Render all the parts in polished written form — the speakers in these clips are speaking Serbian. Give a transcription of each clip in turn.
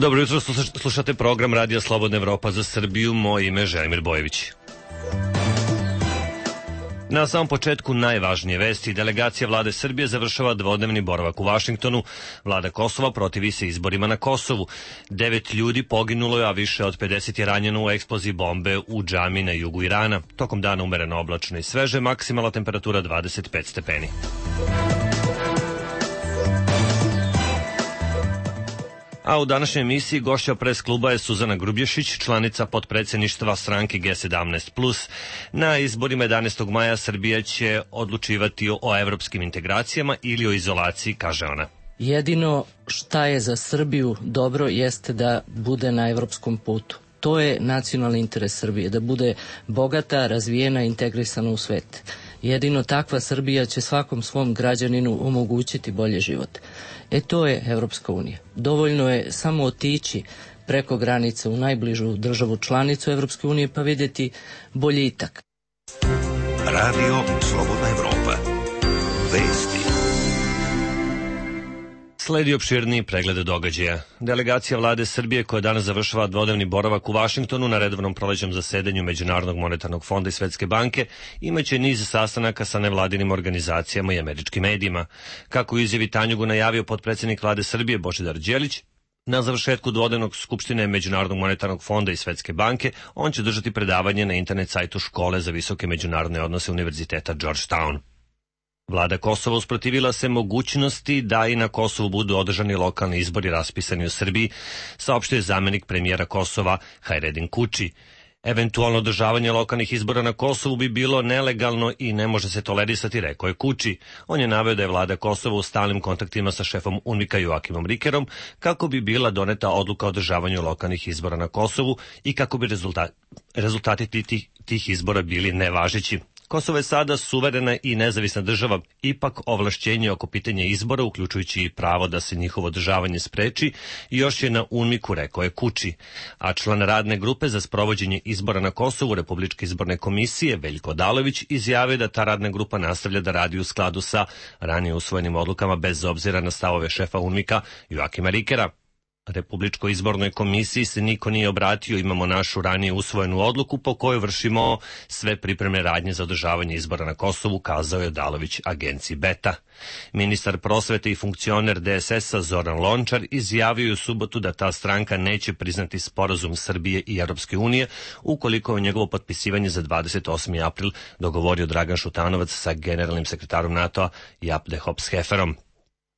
Dobro jutro, slušate program Radija Slobodna Evropa za Srbiju. Moje ime je Želimir Bojević. Na samom početku najvažnije vesti. Delegacija vlade Srbije završava dvodnevni boravak u Vašingtonu. Vlada Kosova protivi se izborima na Kosovu. 9 ljudi poginulo je, a više od 50 je ranjeno u eksploziji bombe u džami na jugu Irana. Tokom dana umereno oblačno i sveže, maksimalna temperatura 25 stepeni. A u današnjoj emisiji gošća pres kluba je Suzana Grubješić, članica potpredsjedništva stranke G17+. Na izborima 11. maja Srbija će odlučivati o evropskim integracijama ili o izolaciji, kaže ona. Jedino šta je za Srbiju dobro jeste da bude na evropskom putu. To je nacionalni interes Srbije, da bude bogata, razvijena i integrisana u svet. Jedino takva Srbija će svakom svom građaninu omogućiti bolji život. To je Evropska unija. Dovoljno je samo otići preko granice u najbližu državu članicu Evropske unije pa vidjeti boljitak. Radio Slobodna Evropa. Vesti. Sledi opširniji pregled događaja. Delegacija vlade Srbije, koja danas završava dvodnevni boravak u Vašingtonu na redovnom prolećnom zasedanju Međunarodnog monetarnog fonda i Svetske banke, imaće niz sastanaka sa nevladinim organizacijama i američkim medijima. Kako u izjavi Tanjugu najavio potpredsjednik vlade Srbije Božidar Đelić, na završetku dvodnevnog skupštine Međunarodnog monetarnog fonda i Svetske banke, on će držati predavanje na internet sajtu Škole za visoke međunarodne odnose Univerziteta Georgetown. Vlada Kosova usprotivila se mogućnosti da i na Kosovu budu održani lokalni izbori raspisani u Srbiji, saopštio je zamenik premijera Kosova Hajredin Kuči. Eventualno održavanje lokalnih izbora na Kosovu bi bilo nelegalno i ne može se tolerisati, rekao je Kuči. On je naveo da je vlada Kosova u stalnim kontaktima sa šefom UNMIK-a Joakimom Rikerom kako bi bila doneta odluka o održavanju lokalnih izbora na Kosovu i kako bi rezultati tih izbora bili nevažeći. Kosovo je sada suverena i nezavisna država, ipak ovlašćenje oko pitanja izbora, uključujući i pravo da se njihovo održavanje spreči, još je na UNMIK-u, rekao je Kuči. A član radne grupe za sprovođenje izbora na Kosovu Republičke izborne komisije Veljko Odalović izjavio da ta radna grupa nastavlja da radi u skladu sa ranije usvojenim odlukama bez obzira na stavove šefa UNMIK-a Joakima Rikera. Republičkoj izbornoj komisiji se niko nije obratio, imamo našu ranije usvojenu odluku po kojoj vršimo sve pripremne radnje za održavanje izbora na Kosovu, kazao je Odalović agenciji Beta. Ministar prosvete i funkcioner DSS-a Zoran Lončar izjavio je u subotu da ta stranka neće priznati sporazum Srbije i Europske unije ukoliko je njegovo potpisivanje za 28. april dogovorio Dragan Šutanovac sa generalnim sekretarom NATO-a Jaap de Hoop Schefferom.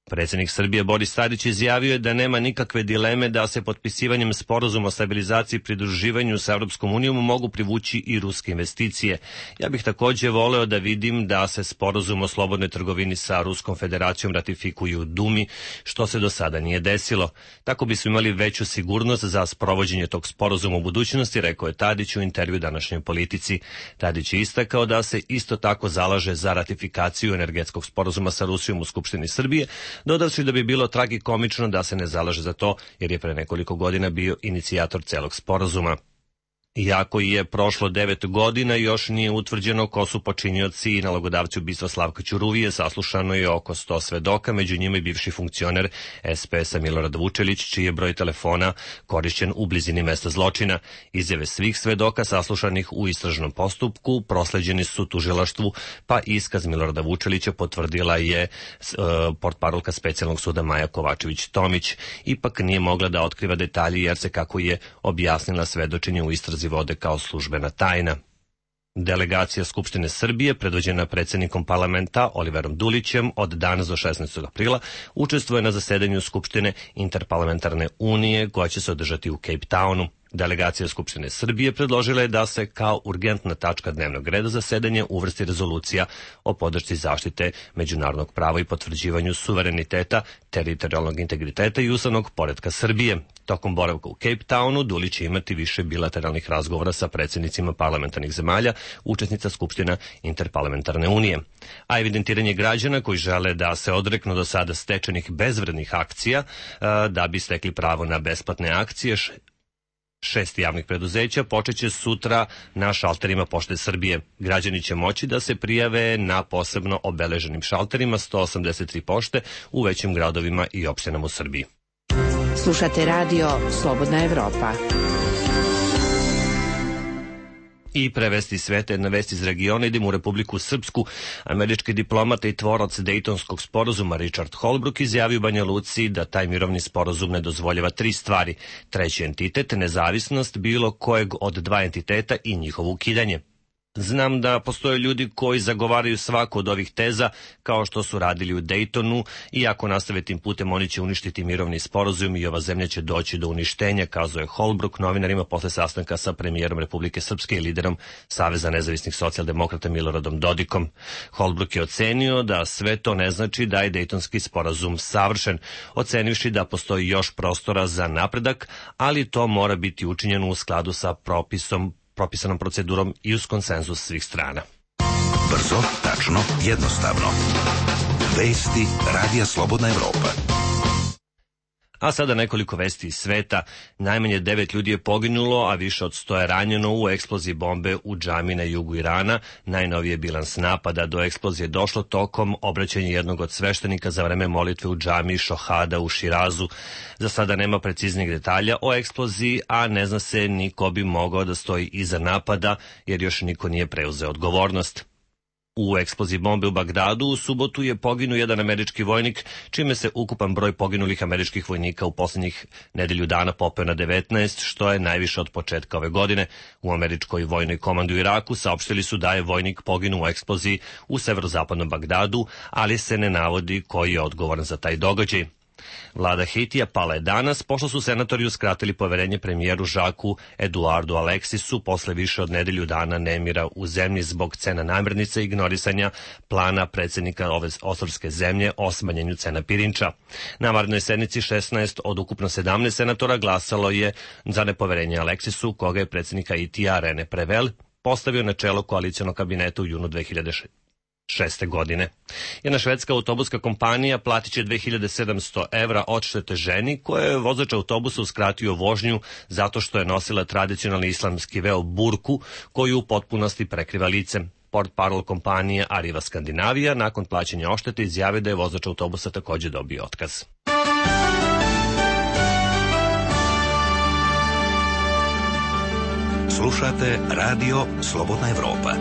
Predsjednik Srbije Boris Tadić izjavio je da nema nikakve dileme da se potpisivanjem sporazuma o stabilizaciji i pridruživanju sa Europskom unijom mogu privući i ruske investicije. Ja bih također voleo da vidim da se sporazum o slobodnoj trgovini sa Ruskom federacijom ratifikuje u Dumi, što se do sada nije desilo. Tako bismo imali veću sigurnost za sprovođenje tog sporazuma u budućnosti, rekao je Tadić u intervju današnjoj Politici. Tadić je istakao da se isto tako zalaže za ratifikaciju energetskog sporazuma sa Rusijom u Skupštini Srbije, dodavši da bi bilo tragikomično da se ne zalaže za to, jer je pre nekoliko godina bio inicijator celog sporazuma. Iako je prošlo 9 godina, još nije utvrđeno ko su počinioci i nalogodavci ubistva Slavka Ćuruvije. Saslušano je oko 100 svedoka, među njima i bivši funkcioner SPS-a Milorad Vučelić, čiji je broj telefona korišćen u blizini mesta zločina. Izjave svih svedoka saslušanih u istražnom postupku prosleđeni su tužilaštvu, pa iskaz Milorada Vučelića potvrdila je portparolka specijalnog suda Maja Kovačević-Tomić. Ipak nije mogla da otkriva detalje jer se, kako je objasnila, svedočenje u istrazi vode kao službena tajna. Delegacija Skupštine Srbije, predvođena predsjednikom parlamenta Oliverom Dulićem, od danas do 16. aprila učestvuje na zasedanju Skupštine Interparlamentarne unije koja će se održati u Cape Townu. Delegacija Skupštine Srbije predložila je da se kao urgentna tačka dnevnog reda zasedanja uvrsti rezolucija o podršci zaštite međunarodnog prava i potvrđivanju suvereniteta, teritorijalnog integriteta i ustavnog poretka Srbije. Tokom boravka u Cape Townu Dulić će imati više bilateralnih razgovora sa predsjednicima parlamentarnih zemalja, učesnica Skupština Interparlamentarne unije. A evidentiranje građana koji žele da se odreknu do sada stečenih bezvrednih akcija da bi stekli pravo na besplatne akcije 6 javnih preduzeća počeće sutra na šalterima Pošte Srbije. Građani će moći da se prijave na posebno obeleženim šalterima 183 pošte u većim gradovima i opštinama u Srbiji. Slušate radio Slobodna Evropa. I prevesti sveta, jedna vest iz regiona, idemo u Republiku Srpsku. Američki diplomata i tvorac Dejtonskog sporazuma Richard Holbrooke izjavio u Banja Luci da taj mirovni sporazum ne dozvoljava 3 stvari. Treći entitet, nezavisnost bilo kojeg od 2 entiteta i njihovo ukidanje. Znam da postoje ljudi koji zagovaraju svaku od ovih teza, kao što su radili u Dejtonu, i ako nastave tim putem oni će uništiti mirovni sporazum i ova zemlja će doći do uništenja, kazao je Holbrooke novinarima posle sastanka sa premijerom Republike Srpske i liderom Saveza nezavisnih socijaldemokrata Miloradom Dodikom. Holbrooke je ocenio da sve to ne znači da je Dejtonski sporazum savršen, ocenivši da postoji još prostora za napredak, ali to mora biti učinjeno u skladu sa propisanom procedurom i uz konsenzus svih strana. Brzo, tačno, jednostavno. Vesti Radija Slobodna Evropa. A sada nekoliko vesti iz sveta. Najmanje 9 ljudi je poginulo, a više od 100 je ranjeno u eksploziji bombe u džami na jugu Irana. Najnoviji je bilans napada. Do eksplozije došlo tokom obraćanja jednog od sveštenika za vreme molitve u džami Šohada u Širazu. Za sada nema preciznih detalja o eksploziji, a ne zna se ni ko bi mogao da stoji iza napada, jer još niko nije preuzeo odgovornost. U eksploziji bombe u Bagdadu u subotu je poginuo jedan američki vojnik, čime se ukupan broj poginulih američkih vojnika u posljednjih nedelju dana popeo na 19, što je najviše od početka ove godine. U američkoj vojnoj komandi u Iraku saopštili su da je vojnik poginuo u eksploziji u severozapadnom Bagdadu, ali se ne navodi koji je odgovoran za taj događaj. Vlada Haitija pala je danas, pošto su senatori uskratili poverenje premijeru Žaku Eduardu Aleksisu posle više od nedelju dana nemira u zemlji zbog cena namirnica i ignorisanja plana predsjednika ove ostrvske zemlje o smanjenju cena pirinča. Na vanrednoj sednici 16 od ukupno 17 senatora glasalo je za nepoverenje Aleksisu, koga je predsjednik Haitija Rene Prevel postavio na čelo koalicionog kabineta u junu 2006. godine. Jedna švedska autobuska kompanija platit će 2700 evra odštete ženi koja je vozač autobusa uskratio vožnju zato što je nosila tradicionalni islamski veo burku koju u potpunosti prekriva lice. Portparol kompanije Arriva Skandinavija nakon plaćanja odštete izjavio da je vozač autobusa također dobio otkaz. Slušate Radio Slobodna Evropa.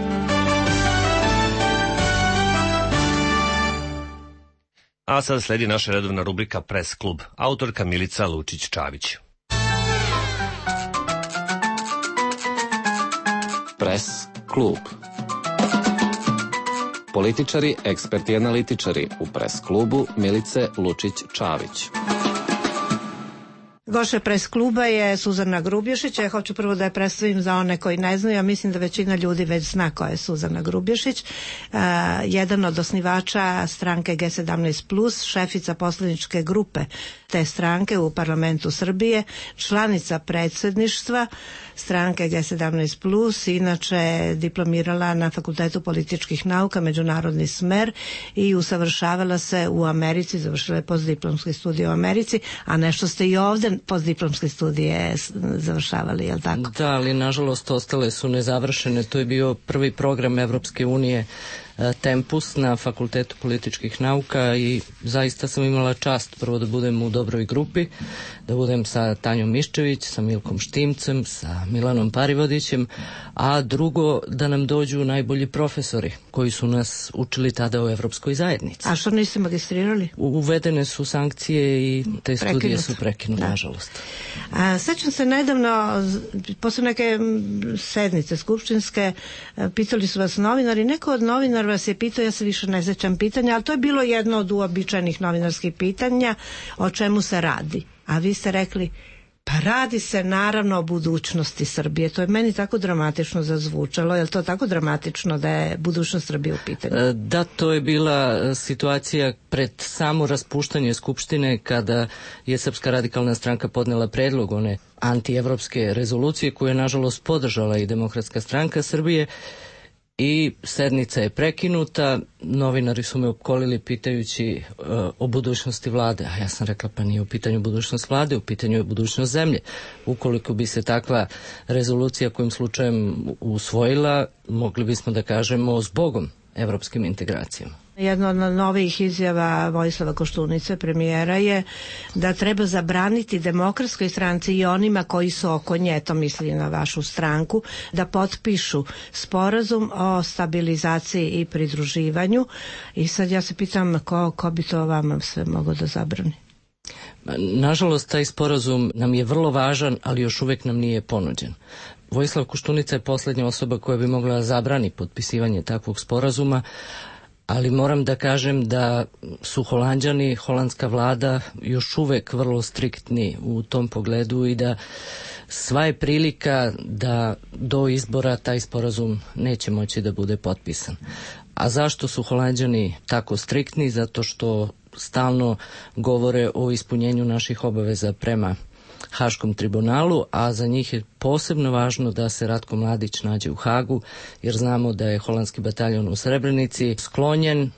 A sada sledi naša redovna rubrika Press klub, autorka Milica Lučić-Čavić. Press klub. Političari, eksperti i analitičari u Press klubu Milice Lučić-Čavić. Gošća Press kluba je Suzana Grubješić. Ja hoću prvo da je predstavim za one koji ne znaju. Ja mislim da većina ljudi već zna ko je Suzana Grubješić. Jedan od osnivača stranke G17+, šefica poslaničke grupe te stranke u parlamentu Srbije, članica predsjedništva stranke G17+, inače diplomirala na Fakultetu političkih nauka, međunarodni smer i usavršavala se u Americi, završila je postdiplomske studije u Americi, a nešto ste i ovdje postdiplomske studije završavali, je li tako? Da, ali nažalost ostale su nezavršene. To je bio prvi program Evropske unije Tempus na Fakultetu političkih nauka i zaista sam imala čast prvo da budem u dobroj grupi, da budem sa Tanjom Miščević, sa Milkom Štimcem, sa Milanom Parivodićem, a drugo da nam dođu najbolji profesori koji su nas učili tada u Evropskoj zajednici. A što niste magistrirali? Uvedene su sankcije i te studije su prekinute, nažalost. Sećam se nedavno, posle neke sednice skupštinske, pitali su vas novinari, neko od novinara vas je pitao, ja se više ne sećam pitanja, ali to je bilo jedno od uobičajenih novinarskih pitanja, o čemu se radi. A vi ste rekli, pa radi se naravno o budućnosti Srbije. To je meni tako dramatično zazvučalo. Je li to tako dramatično da je budućnost Srbije u pitanju? Da, to je bila situacija pred samo raspuštanje Skupštine kada je Srpska radikalna stranka podnela predlog one antievropske rezolucije koju je nažalost podržala i Demokratska stranka Srbije. I sednica je prekinuta, novinari su me opkolili pitajući o budućnosti vlade, a ja sam rekla pa nije u pitanju budućnost vlade, u pitanju je budućnost zemlje. Ukoliko bi se takva rezolucija kojim slučajem usvojila, mogli bismo da kažemo zbogom evropskim integracijama. Jedna od novih izjava Vojislava Koštunice, premijera, je da treba zabraniti Demokratskoj stranci i onima koji su oko nje, to misli na vašu stranku, da potpišu sporazum o stabilizaciji i pridruživanju. I sad ja se pitam ko bi to vama sve mogao da zabrani? Nažalost, taj sporazum nam je vrlo važan, ali još uvek nam nije ponuđen. Vojislav Koštunica je poslednja osoba koja bi mogla zabrani potpisivanje takvog sporazuma, ali moram da kažem da su Holanđani, holandska vlada još uvek vrlo striktni u tom pogledu i da sva je prilika da do izbora taj sporazum neće moći da bude potpisan. A zašto su Holanđani tako striktni? Zato što stalno govore o ispunjenju naših obaveza prema Haškom tribunalu, a za njih je posebno važno da se Ratko Mladić nađe u Hagu, jer znamo da je holandski bataljon u Srebrenici sklonjen.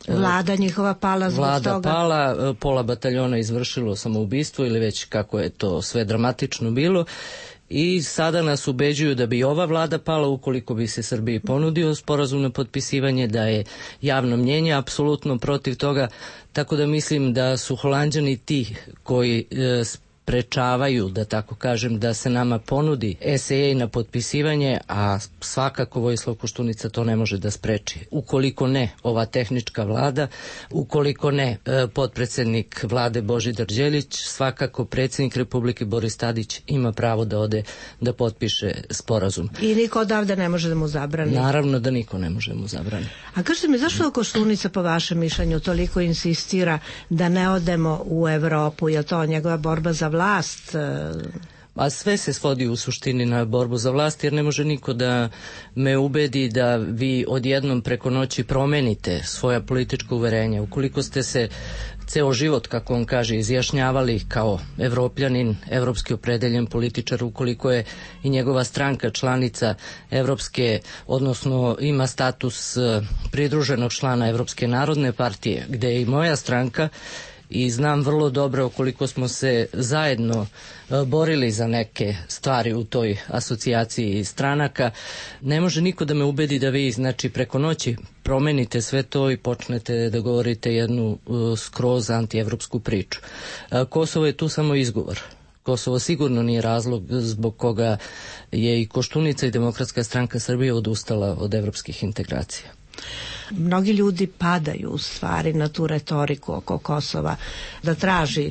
Vlada njihova pala zbog toga. Vlada pala, pola bataljona izvršilo samoubistvo ili već kako je to sve dramatično bilo. I sada nas ubeđuju da bi ova vlada pala ukoliko bi se Srbiji ponudio sporazum na potpisivanje, da je javno mnjenje apsolutno protiv toga, tako da mislim da su Holanđani ti koji sprečavaju, da tako kažem, da se nama ponudi SAA na potpisivanje, a svakako Vojislav Koštunica to ne može da spreči. Ukoliko ne ova tehnička vlada, ukoliko ne potpredsednik vlade Božidar Đelić, svakako predsjednik Republike Boris Tadić ima pravo da ode da potpiše sporazum. I niko odavde ne može da mu zabrani? Naravno da niko ne može da mu zabrani. A kažete mi, zašto Koštunica po vašem mišljenju toliko insistira da ne odemo u Evropu? Je to njegova borba za vlast? A sve se svodi u suštini na borbu za vlast, jer ne može niko da me ubedi da vi odjednom preko noći promenite svoja politička uverenja. Ukoliko ste se ceo život, kako on kaže, izjašnjavali kao evropljanin, evropski opredeljen političar, ukoliko je i njegova stranka članica evropske, odnosno ima status pridruženog člana Evropske narodne partije, gde je i moja stranka, i znam vrlo dobro koliko smo se zajedno borili za neke stvari u toj asocijaciji stranaka. Ne može niko da me ubedi da vi, znači, preko noći promenite sve to i počnete da govorite jednu skroz antievropsku priču. Kosovo je tu samo izgovor. Kosovo sigurno nije razlog zbog koga je i Koštunica i Demokratska stranka Srbije odustala od evropskih integracija. Mnogi ljudi padaju u stvari na tu retoriku oko Kosova, da traži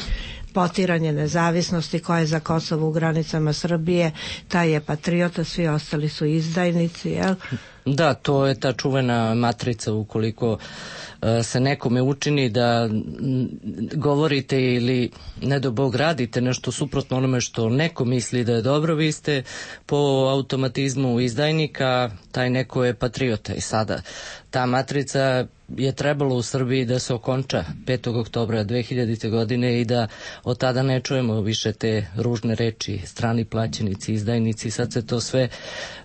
potiranje nezavisnosti, koja je za Kosovo u granicama Srbije, taj je patriota, svi ostali su izdajnici, jel? Da, to je ta čuvena matrica. Ukoliko se nekome učini da govorite ili ne do Bog radite nešto suprotno onome što neko misli da je dobro, vi ste po automatizmu izdajnika, taj neko je patriota. I sada ta matrica je trebalo u Srbiji da se okonča 5. oktobra 2000. godine i da od tada ne čujemo više te ružne reči, strani plaćenici, izdajnici. Sad se to sve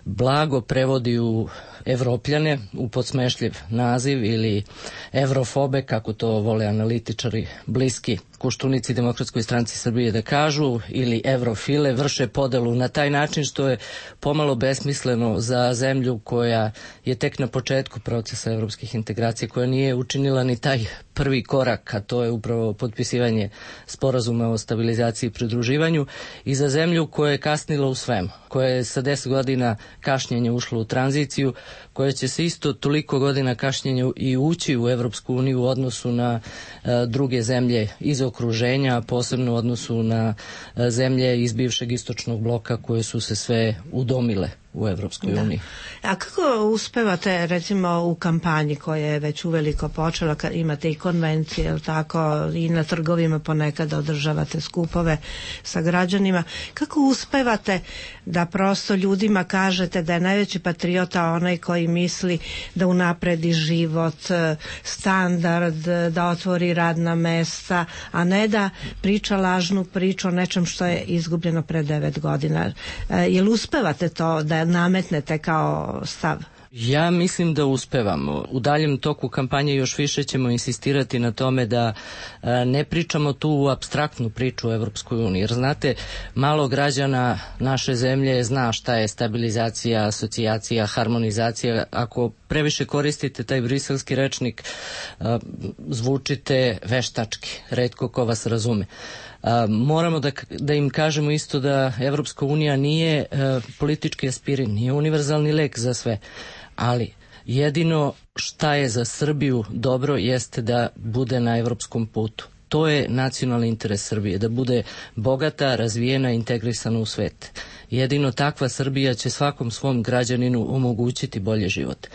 blago prevodi u Evropljane, u podsmešljiv naziv, ili evrofobe, kako to vole analitičari bliski Koštunici Demokratskoj stranci Srbije da kažu, ili evrofile, vrše podelu na taj način, što je pomalo besmisleno za zemlju koja je tek na početku procesa evropskih integracija, koja nije učinila ni taj prvi korak, a to je upravo potpisivanje sporazuma o stabilizaciji i pridruživanju, i za zemlju koja je kasnila u svemu, koja je sa 10 godina kašnjenja ušla u tranziciju, koja će se isto toliko godina kašnjenja i ući u Evropsku uniju u odnosu na druge zemlje iz okruženja, posebno u odnosu na zemlje iz bivšeg istočnog bloka koje su se sve udomile u Evropskoj uniji. A kako uspevate, recimo, u kampanji koja je već uveliko počela, kad imate i konvencije, tako, i na trgovima ponekad održavate skupove sa građanima, kako uspevate da prosto ljudima kažete da je najveći patriota onaj koji misli da unapredi život, standard, da otvori radna mesta, a ne da priča lažnu priču o nečem što je izgubljeno pre 9 godina. Jel uspevate to da nametnete kao stav? Ja mislim da uspevamo. U daljem toku kampanje još više ćemo insistirati na tome da ne pričamo tu apstraktnu priču o Evropskoj uniji. Jer znate, malo građana naše zemlje zna šta je stabilizacija, asocijacija, harmonizacija. Ako previše koristite taj briselski rečnik, zvučite veštački. Retko ko vas razume. Moramo da im kažemo isto da Evropska unija nije politički aspirin, nije univerzalni lek za sve, ali jedino šta je za Srbiju dobro jeste da bude na evropskom putu. To je nacionalni interes Srbije, da bude bogata, razvijena, integrisana u svet. Jedino takva Srbija će svakom svom građaninu omogućiti bolji život.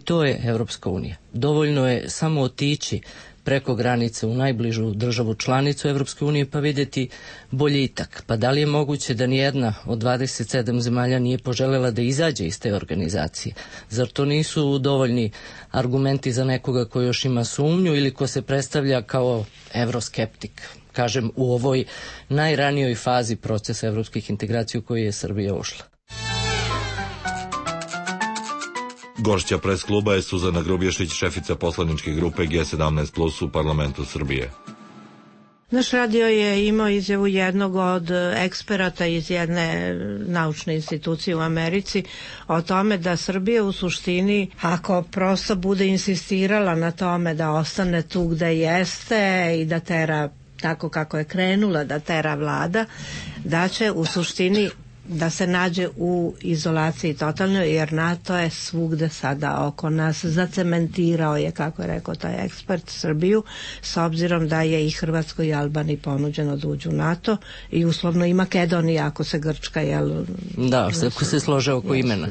To je Evropska unija. Dovoljno je samo otići preko granice u najbližu državu članicu Evropske unije pa vidjeti boljitak. Pa da li je moguće da nijedna od 27 zemalja nije poželjela da izađe iz te organizacije? Zar to nisu dovoljni argumenti za nekoga ko još ima sumnju ili ko se predstavlja kao evroskeptik? Kažem, u ovoj najranijoj fazi procesa evropskih integracija u koji je Srbija ušla. Gošća pres kluba je Suzana Grubješić, šefica poslaničke grupe G17+ u parlamentu Srbije. Naš radio je imao izjavu jednog od eksperata iz jedne naučne institucije u Americi o tome da Srbija u suštini, ako prosto bude insistirala na tome da ostane tu gde jeste i da tera tako kako je krenula, da tera vlada, da će u suštini da se nađe u izolaciji totalno, jer NATO je svugde sada oko nas, zacementirao je, kako je rekao taj ekspert, Srbiju, s obzirom da je i Hrvatskoj i Albaniji ponuđeno da uđu u NATO i uslovno i Makedonija ako se Grčka ako se slože oko imena.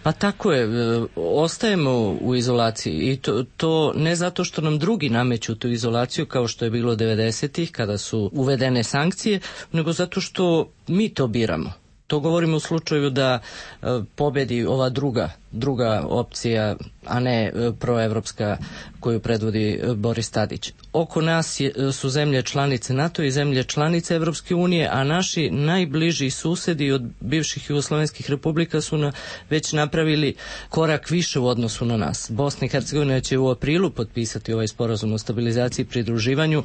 Pa tako je, ostajemo u izolaciji i to ne zato što nam drugi nameću tu izolaciju kao što je bilo 90-ih kada su uvedene sankcije, nego zato što mi to biramo. To govorimo u slučaju da pobedi ova druga opcija, a ne proevropska koju predvodi Boris Tadić. Oko nas su zemlje članice NATO i zemlje članice Evropske unije, a naši najbliži susedi od bivših jugoslovenskih republika su već napravili korak više u odnosu na nas. Bosna i Hercegovina će u aprilu potpisati ovaj sporazum o stabilizaciji i pridruživanju.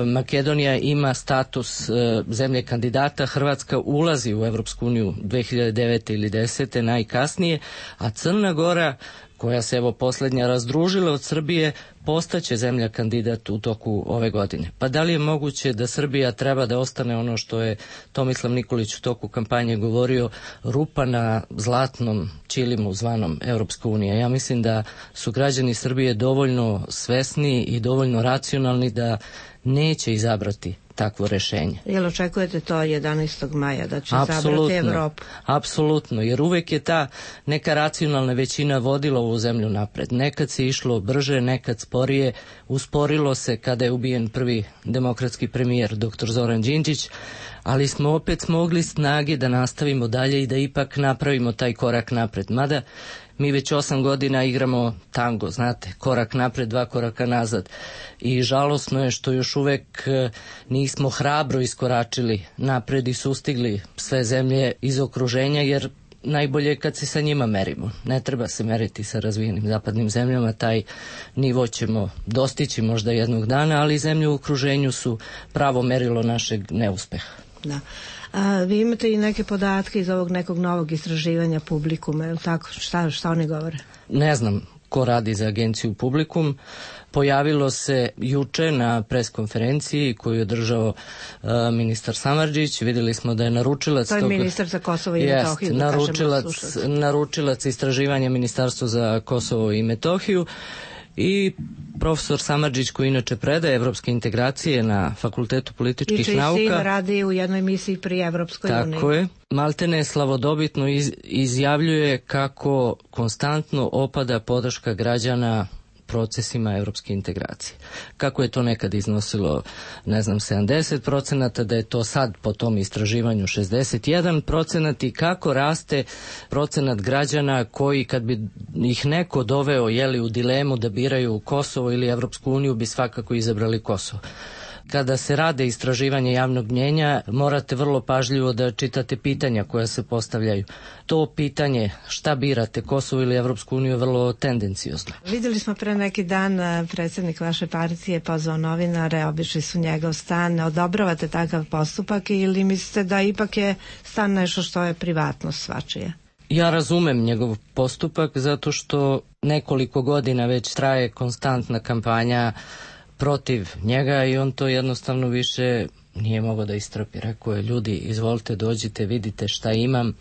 Makedonija ima status zemlje kandidata, Hrvatska ulazi u Evropsku uniju 2009. ili 10. najkasnije, a Crna Gora, koja se evo posljednja razdružila od Srbije, postaće zemlja kandidat u toku ove godine. Pa da li je moguće da Srbija treba da ostane ono što je Tomislav Nikolić u toku kampanje govorio, rupa na zlatnom ćilimu zvanom Evropska unija? Ja mislim da su građani Srbije dovoljno svesni i dovoljno racionalni da neće izabrati takvo rešenje. Jel očekujete to 11. maja da će izabrati Evropu? Apsolutno, jer uvek je ta neka racionalna većina vodila ovu zemlju napred. Nekad se išlo brže, nekad sporije, usporilo se kada je ubijen prvi demokratski premijer dr. Zoran Đinđić, ali smo opet smogli snage da nastavimo dalje i da ipak napravimo taj korak napred. Mada mi već 8 godina igramo tango, znate, korak napred, 2 koraka nazad. I žalosno je što još uvek nismo hrabro iskoračili napred i sustigli sve zemlje iz okruženja, jer najbolje je kad se sa njima merimo. Ne treba se meriti sa razvijenim zapadnim zemljama, taj nivo ćemo dostići možda jednog dana, ali zemlje u okruženju su pravo merilo našeg neuspeha. Da. Vi imate i neke podatke iz ovog nekog novog istraživanja Publikuma, je li tako? Šta oni govore? Ne znam ko radi za agenciju Publikum. Pojavilo se juče na preskonferenciji koju je održao ministar Samardžić. Vidjeli smo da je naručilac... To je ministar za Kosovo i Metohiju. Naručilac istraživanja Ministarstva za Kosovo i Metohiju. I profesor Samardžić, koji inače predaje evropske integracije na Fakultetu političkih nauka. I čiji sin radi u jednoj misiji pri Evropskoj uniji. Tako je. Maltene slavodobitno izjavljuje kako konstantno opada podrška građana procesima evropske integracije. Kako je to nekad iznosilo, 70%, da je to sad po tom istraživanju 61% i kako raste procenat građana koji, kad bi ih neko doveo u dilemu da biraju Kosovo ili Evropsku uniju, bi svakako izabrali Kosovo. Kada se rade istraživanje javnog mnjenja, morate vrlo pažljivo da čitate pitanja koja se postavljaju. To pitanje šta birate, Kosovo ili Evropsku uniju, je vrlo tendencijozno. Videli smo pre neki dan, predsjednik vaše partije pozvao novinare, obišli su njegov stan. Odobravate takav postupak ili mislite da ipak je stan nešto što je privatnost svačije? Ja razumem njegov postupak zato što nekoliko godina već traje konstantna kampanja protiv njega i on to jednostavno više nije mogao da istrpi. Rekao je, ljudi, izvolite, dođite, vidite šta imam.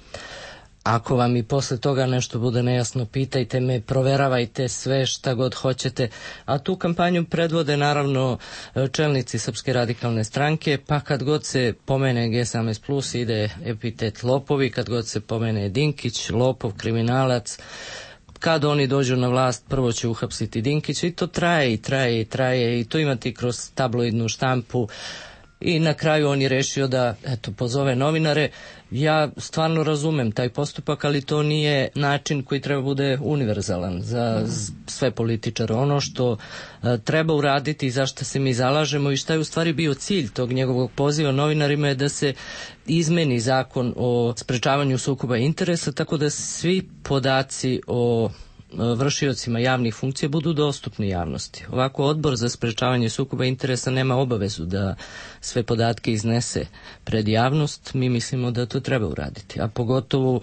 Ako vam i posle toga nešto bude nejasno, pitajte me, proveravajte sve šta god hoćete. A tu kampanju predvode naravno čelnici Srpske radikalne stranke, pa kad god se pomene G17+, ide epitet lopovi, kad god se pomene Dinkić, lopov, kriminalac. Kad oni dođu na vlast, prvo će uhapsiti Dinkića i to traje i to imate i kroz tabloidnu štampu. I na kraju on je rešio da pozove novinare. Ja stvarno razumem taj postupak, ali to nije način koji treba bude univerzalan za sve političare. Ono što treba uraditi i za što se mi zalažemo i šta je u stvari bio cilj tog njegovog poziva novinarima je da se izmeni zakon o sprečavanju sukoba interesa, tako da svi podaci o vršiocima javnih funkcija budu dostupni javnosti. Ovako Odbor za sprečavanje sukoba interesa nema obavezu da sve podatke iznese pred javnost. Mi mislimo da to treba uraditi, a pogotovo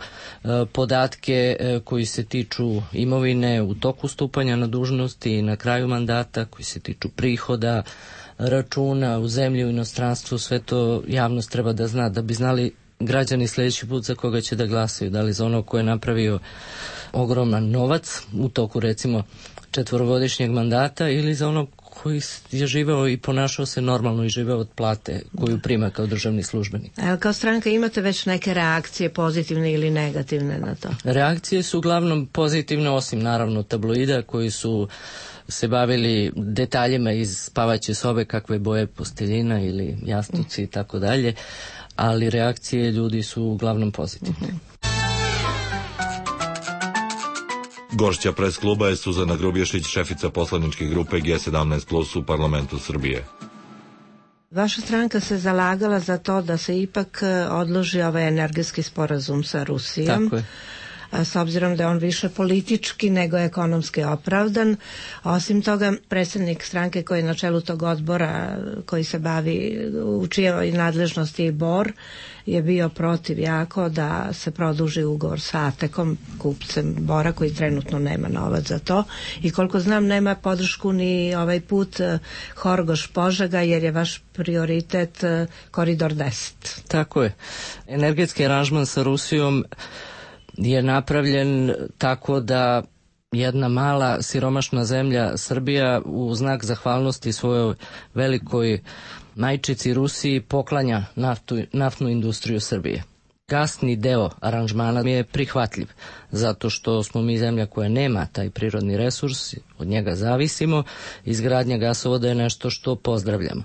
podatke koji se tiču imovine u toku stupanja na dužnosti i na kraju mandata, koji se tiču prihoda, računa u zemlji, u inostranstvu, sve to javnost treba da zna, da bi znali građani sljedeći put za koga će da glasaju, da li za onog ko je napravio ogroman novac u toku recimo 4-godišnjeg mandata ili za onog koji je živeo i ponašao se normalno i živeo od plate koju prima kao državni službenik. A kao stranka imate već neke reakcije, pozitivne ili negativne na to? Reakcije su uglavnom pozitivne, osim naravno tabloida koji su se bavili detaljima iz spavaće sobe, kakve boje posteljina ili jastuci i tako dalje, ali reakcije ljudi su uglavnom pozitivne. Gošća pres kluba je Suzana Grubješić, šefica poslaničke grupe G17+ u parlamentu Srbije. Vaša stranka se zalagala za to da se ipak odloži ovaj energetski sporazum sa Rusijom. Tako je. S obzirom da je on više politički nego ekonomski opravdan. Osim toga, predsjednik stranke koji je na čelu tog odbora koji se bavi, u čijoj nadležnosti i Bor, je bio protiv jako da se produži ugovor sa Atekom, kupcem Bora, koji trenutno nema novac za to. I koliko znam, nema podršku ni ovaj put Horgoš-Požega, jer je vaš prioritet Koridor 10. Tako je. Energetski aranžman sa Rusijom je napravljen tako da jedna mala siromašna zemlja Srbija u znak zahvalnosti svojoj velikoj majčici Rusiji poklanja naftnu industriju Srbije. Gasni deo aranžmana mi je prihvatljiv, zato što smo mi zemlja koja nema taj prirodni resurs, od njega zavisimo, izgradnja gasovoda je nešto što pozdravljamo.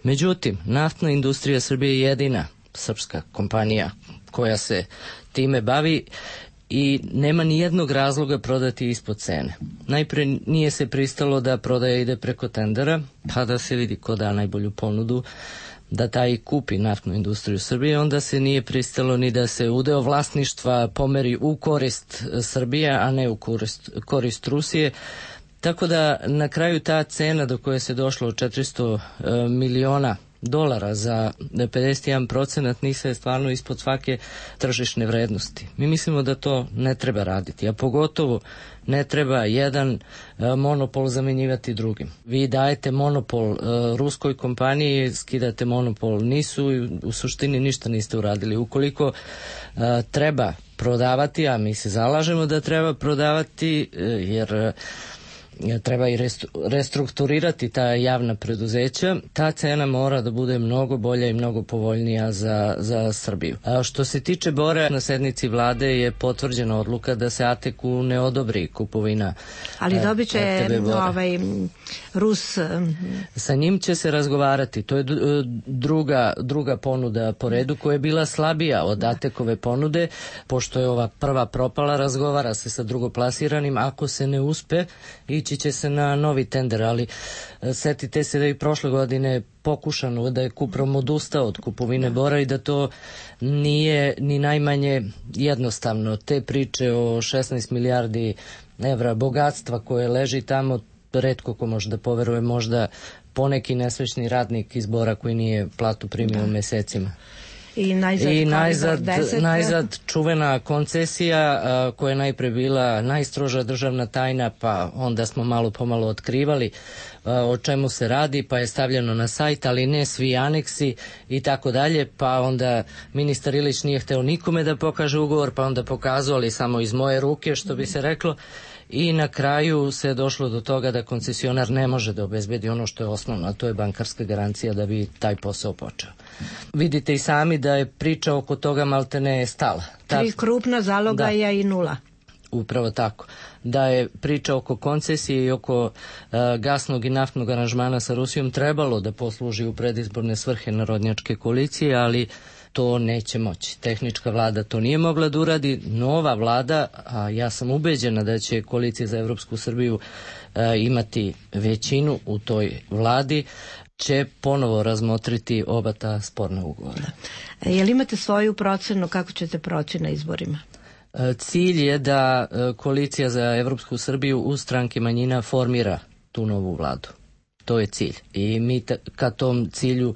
Međutim, naftna industrija Srbije je jedina srpska kompanija koja se time bavi i nema ni jednog razloga prodati ispod cene. Najpre nije se pristalo da prodaja ide preko tendera, pa da se vidi ko da najbolju ponudu, da taj kupi naftnu industriju Srbije, onda se nije pristalo ni da se udeo vlasništva pomeri u korist Srbije, a ne u korist Rusije. Tako da na kraju ta cena do koje se došlo od $400 miliona za 51% nise stvarno ispod svake tržišne vrednosti. Mi mislimo da to ne treba raditi, a pogotovo ne treba jedan monopol zamenjivati drugim. Vi dajete monopol ruskoj kompaniji, skidate monopol NIS-u i u suštini ništa niste uradili. Ukoliko treba prodavati, a mi se zalažemo da treba prodavati, jer treba i restrukturirati ta javna preduzeća, ta cena mora da bude mnogo bolja i mnogo povoljnija za Srbiju. A što se tiče Bora, na sednici vlade je potvrđena odluka da se Ateku ne odobri kupovina. Ali dobit će Rus. Sa njim će se razgovarati. To je druga ponuda po redu koja je bila slabija od Atekove ponude. Pošto je ova prva propala, razgovara se sa drugoplasiranim. Ako se ne uspe, ići ići će se na novi tender, ali setite se da i prošle godine pokušano da je Kuprom odustao od kupovine bora i da to nije ni najmanje jednostavno. Te priče o 16 milijardi evra bogatstva koje leži tamo, retko ko može da poveruje, možda poneki nesvešni radnik iz Bora koji nije platu primio mesecima. I najzad čuvena koncesija koja je najpre bila najstroža državna tajna, pa onda smo malo pomalo otkrivali o čemu se radi, pa je stavljeno na sajt, ali ne svi aneksi i tako dalje, pa onda ministar Ilić nije hteo nikome da pokaže ugovor, pa onda pokazali samo iz moje ruke, što bi se reklo, i na kraju se je došlo do toga da koncesionar ne može da obezbedi ono što je osnovno, a to je bankarska garancija da bi taj posao počeo. Vidite i sami da je priča oko toga maltene stala. 3 krupna zalogaja i 0. Upravo tako. Da je priča oko koncesije i oko gasnog i naftnog aranžmana sa Rusijom trebalo da posluži u predizborne svrhe narodnjačke koalicije, ali to neće moći. Tehnička vlada to nije mogla da uradi. Nova vlada, a ja sam ubeđena da će koalicija za Evropsku Srbiju imati većinu u toj vladi, će ponovo razmotriti oba ta sporna ugovora. Jel imate svoju procenu kako ćete proći na izborima? Cilj je da koalicija za Evropsku Srbiju uz stranke manjina formira tu novu vladu. To je cilj. I mi ka tom cilju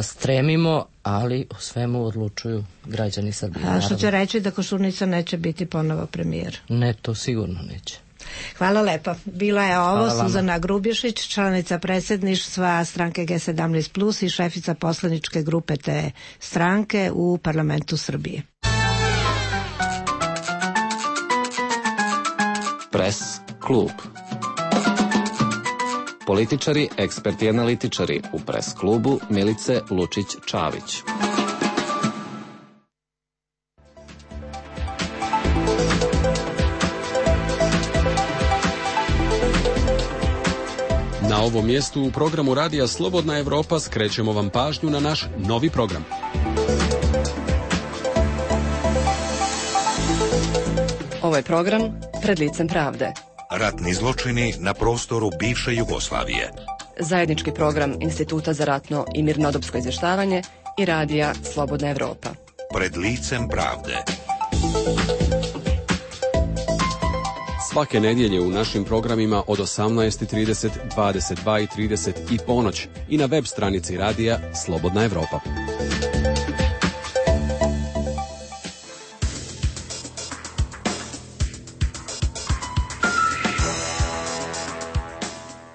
stremimo, ali o svemu odlučuju građani Srbije. A što će reći da Koštunica neće biti ponovo premijer? Ne, to sigurno neće. Hvala lepa. Bila je ovo Suzana Grubješić, članica predsjedništva stranke G17+, i šefica poslaničke grupe te stranke u parlamentu Srbije. Pres klub. Političari, eksperti i analitičari u Pres klubu Milice Lučić-Čavić. Na ovom mjestu u programu Radija Slobodna Evropa skrećemo vam pažnju na naš novi program. Ovo je program Pred licem pravde. Ratni zločini na prostoru bivše Jugoslavije. Zajednički program Instituta za ratno i mirnodopsko izvještavanje i Radija Slobodna Evropa. Pred licem pravde. Svake nedjelje u našim programima od 18:30, 22:30 i ponoć i na web stranici Radija Slobodna Evropa.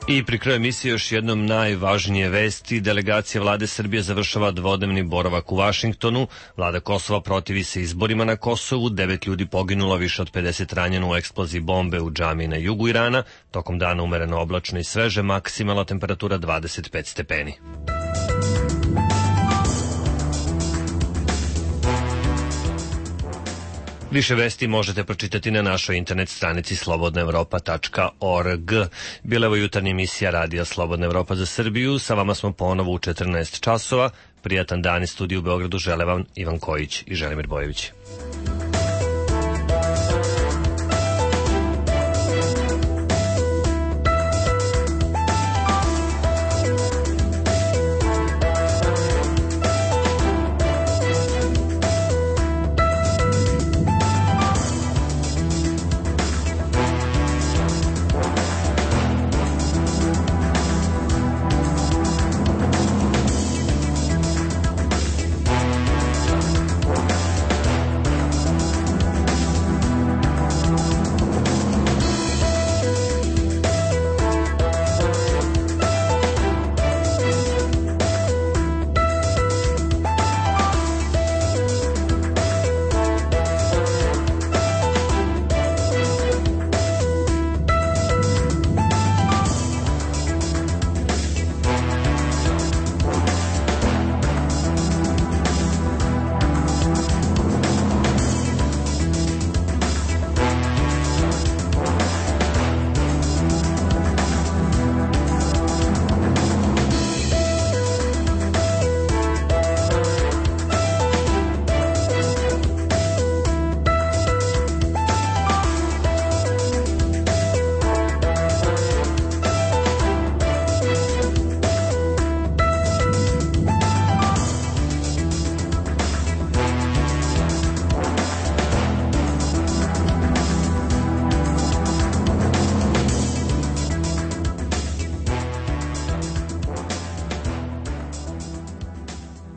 I pri kraju emisije još jednom najvažnije vesti. Delegacija vlade Srbije završava dvodnevni boravak u Vašingtonu. Vlada Kosova protivi se izborima na Kosovu. 9 ljudi poginulo, više od 50 ranjeno u eksploziji bombe u džamiji na jugu Irana. Tokom dana umereno oblačno i sveže, maksimalna temperatura 25 stepeni. Više vesti možete pročitati na našoj internet stranici slobodnaevropa.org. Bila je jutarnja emisija Radija Slobodna Evropa za Srbiju. Sa vama smo ponovo u 14 časova. Prijatan dan iz studiju u Beogradu žele vam Ivan Kojić i Želimir Bojević.